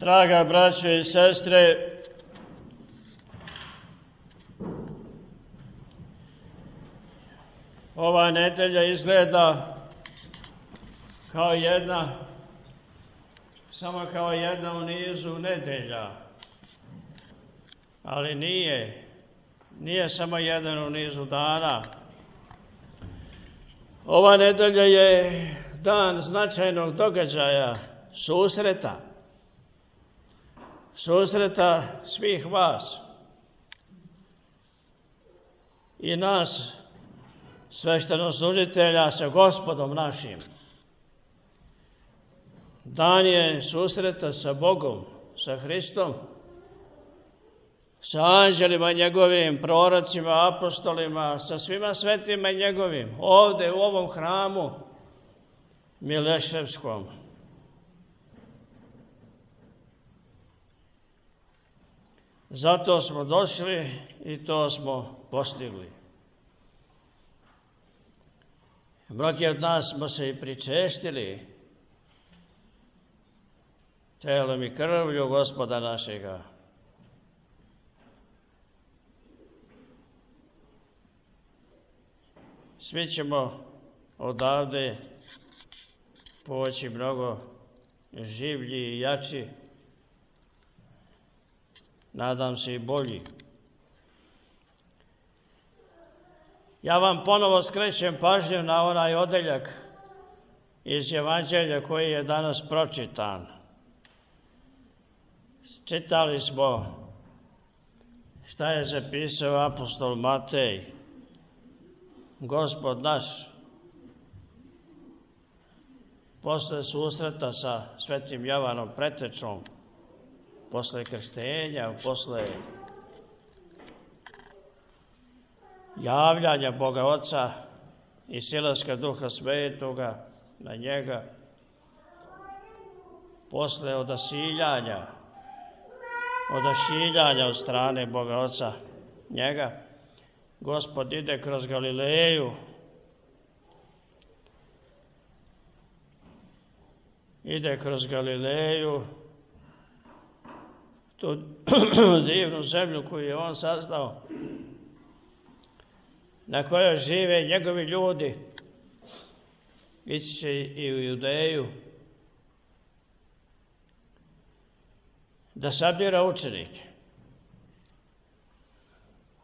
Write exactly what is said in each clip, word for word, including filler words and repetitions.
Draga braćo i sestre, ova nedelja izgleda kao jedna, samo kao jedna u nizu nedelja, ali nije, nije samo jedan u nizu dana. Ova nedelja je dan značajnog događaja, susreta, susreta svih vas i nas, sveštenoslужitelja, sa Gospodom našim. Dan je susreta sa Bogom, sa Hristom, sa anđelima njegovim, prorocima, apostolima, sa svima svetima njegovim, ovde u ovom hramu Mileševskom. Zato smo došli i to smo postigli. Mnogi od nas smo se i pričestili telom i krvlju Gospoda našega. Svi ćemo odavde poći mnogo življi i jači, nadam se i bolji. Ja vam ponovo skrećem pažnju na onaj odeljak iz Evanđelja koji je danas pročitan. Čitali smo šta je zapisao apostol Matej. Gospod naš, posle susreta sa svetim Jovanom Pretečom, posle krštenja, posle javljanja Boga Oca i silaska Duha Svetoga na njega, posle odasiljanja, odašiljanja od strane Boga Oca njega, Gospod ide kroz Galileju, ide kroz Galileju, tu divnu zemlju koju je on sazdao, na kojoj žive njegovi ljudi, ići će i u Judeju, da sabira učenike.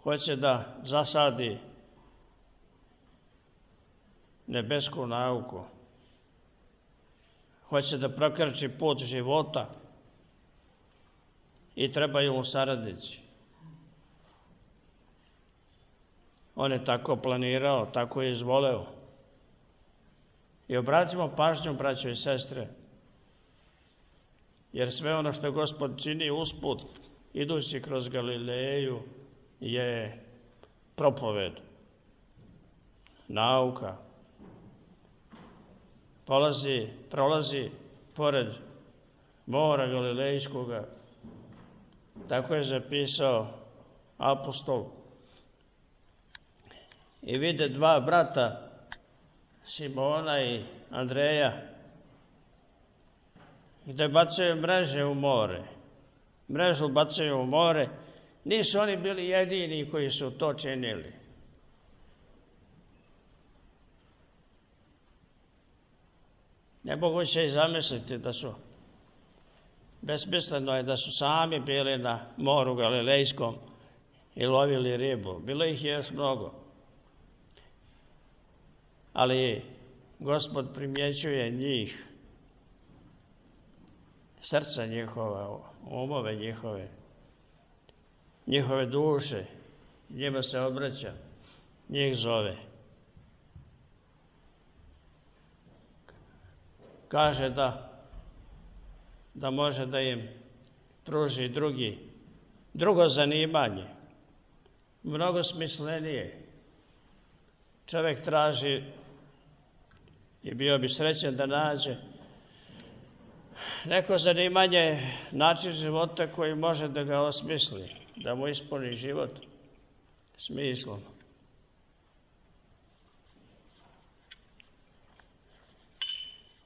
Hoće da zasadi nebesku nauku. Hoće da prokrči put života i trebaju mu saradnici. On je tako planirao, tako je izvoleo. I obratimo pažnju, braćo i sestre, jer sve ono što Gospod čini usput, idući kroz Galileju, je propoved, nauka. Polazi, prolazi pored mora Galilejskoga. Tako je zapisao apostol. I vide dva brata, Simona i Andreja, gde bacaju mreže u more. Mrežu bacaju u more. Nisu oni bili jedini koji su to činili. Nemoguće je zamisliti da su, besmisleno je da su sami bili na moru Galilejskom i lovili ribu. Bilo ih je još mnogo. Ali Gospod primjećuje njih, srca njihova, umove njihove, njihove duše, njima se obraća, njih zove. Kaže da, da može da im pruži drugi, drugo zanimanje, mnogo smislenije. Čovjek traži i bio bi srećan da nađe neko zanimanje, način života koji može da ga osmisli, da mu ispuni život smislom.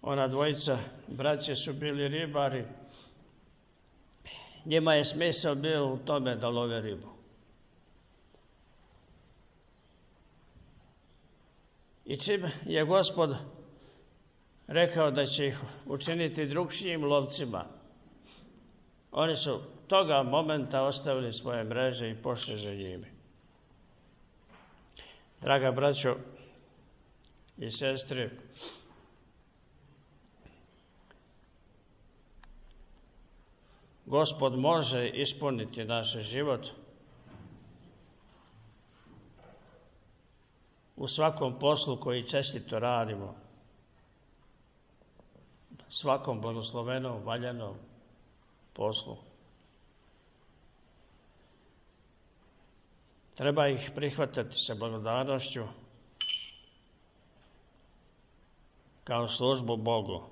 Ona dvojica braće su bili ribari Njima je smisao bio u tome da love ribu. I čim je Gospod rekao da će ih učiniti drugčijim lovcima, oni su toga momenta ostavili svoje mreže i pošli za njime. Draga braćo i sestre, Gospod može ispuniti naš život u svakom poslu koji čestito radimo, svakom blagoslovenom, valjanom poslu. Treba ih prihvatati sa blagodarnošću kao službu Bogu,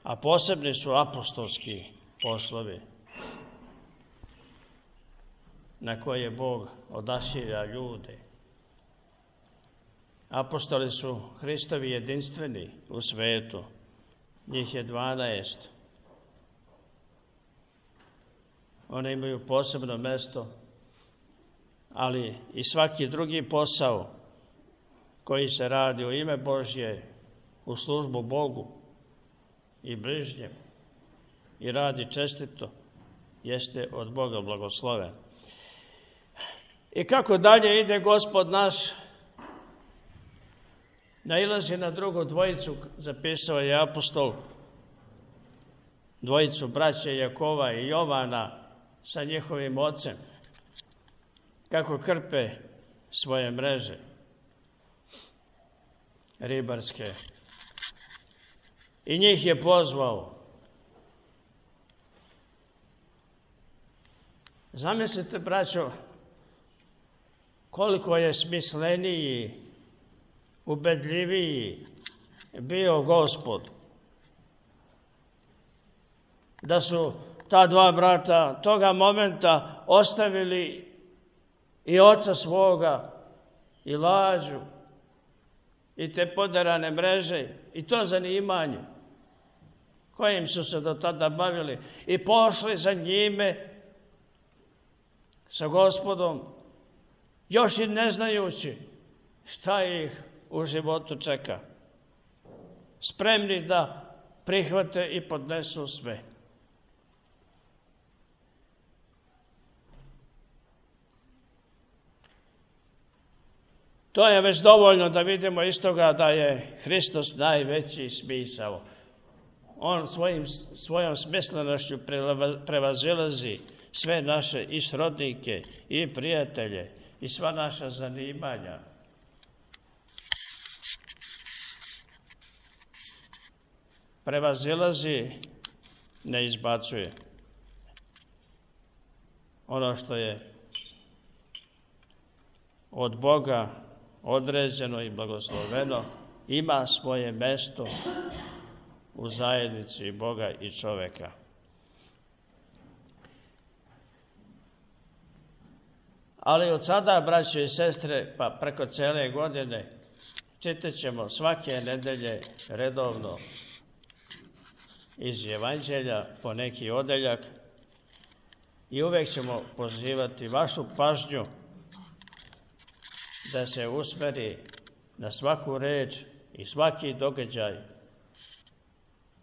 a posebni su apostolski poslovi na koje Bog odašilja ljude. Apostoli su Hristovi jedinstveni u svetu, njih je dvanaest. Oni imaju posebno mesto, ali i svaki drugi posao koji se radi u ime Božje, u službu Bogu i bližnjem i radi čestito, jeste od Boga blagosloven. I kako dalje ide Gospod naš, nailazi na drugu dvojicu, zapisao je apostol, dvojicu braće Jakova i Jovana sa njihovim ocem, kako krpe svoje mreže ribarske. I njih je pozvao. Zamislite, braćo, koliko je smisleniji, ubedljiviji bio Gospod. Da su ta dva brata toga momenta ostavili i oca svoga, i lađu, i te poderane mreže, i to zanimanje kojim su se do tada bavili, i pošli za njime sa Gospodom, još i ne znajući šta ih u životu čeka. Spremni da prihvate i podnesu sve. To je već dovoljno da vidimo iz toga da je Hristos najveći smisao. On svojim, svojom smislenošću prevazilazi sve naše i srodnike i prijatelje i sva naša zanimanja. Prevazilazi, ne izbacuje. Ono što je od Boga određeno i blagosloveno ima svoje mesto u zajednici Boga i čoveka. Ali od sada, braće i sestre, pa preko cele godine čitat ćemo svake nedelje redovno iz Evanđelja po neki odeljak i uvek ćemo pozivati vašu pažnju da se usmeri na svaku reč i svaki događaj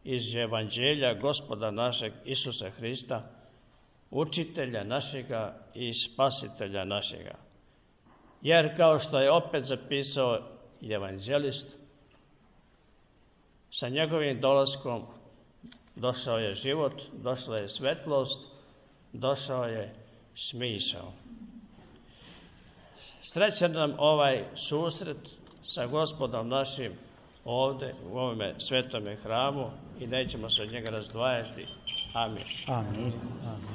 iz Evanđelja Gospoda našeg Isusa Hrista, učitelja našega i spasitelja našega. Jer kao što je opet zapisao evanđelist, sa njegovim dolaskom došao je život, došla je svetlost, došao je smisao. Srećan nam ovaj susret sa Gospodom našim ovde u ovome svetome hramu i nećemo se od njega razdvajati. Amin. Amin. Amin.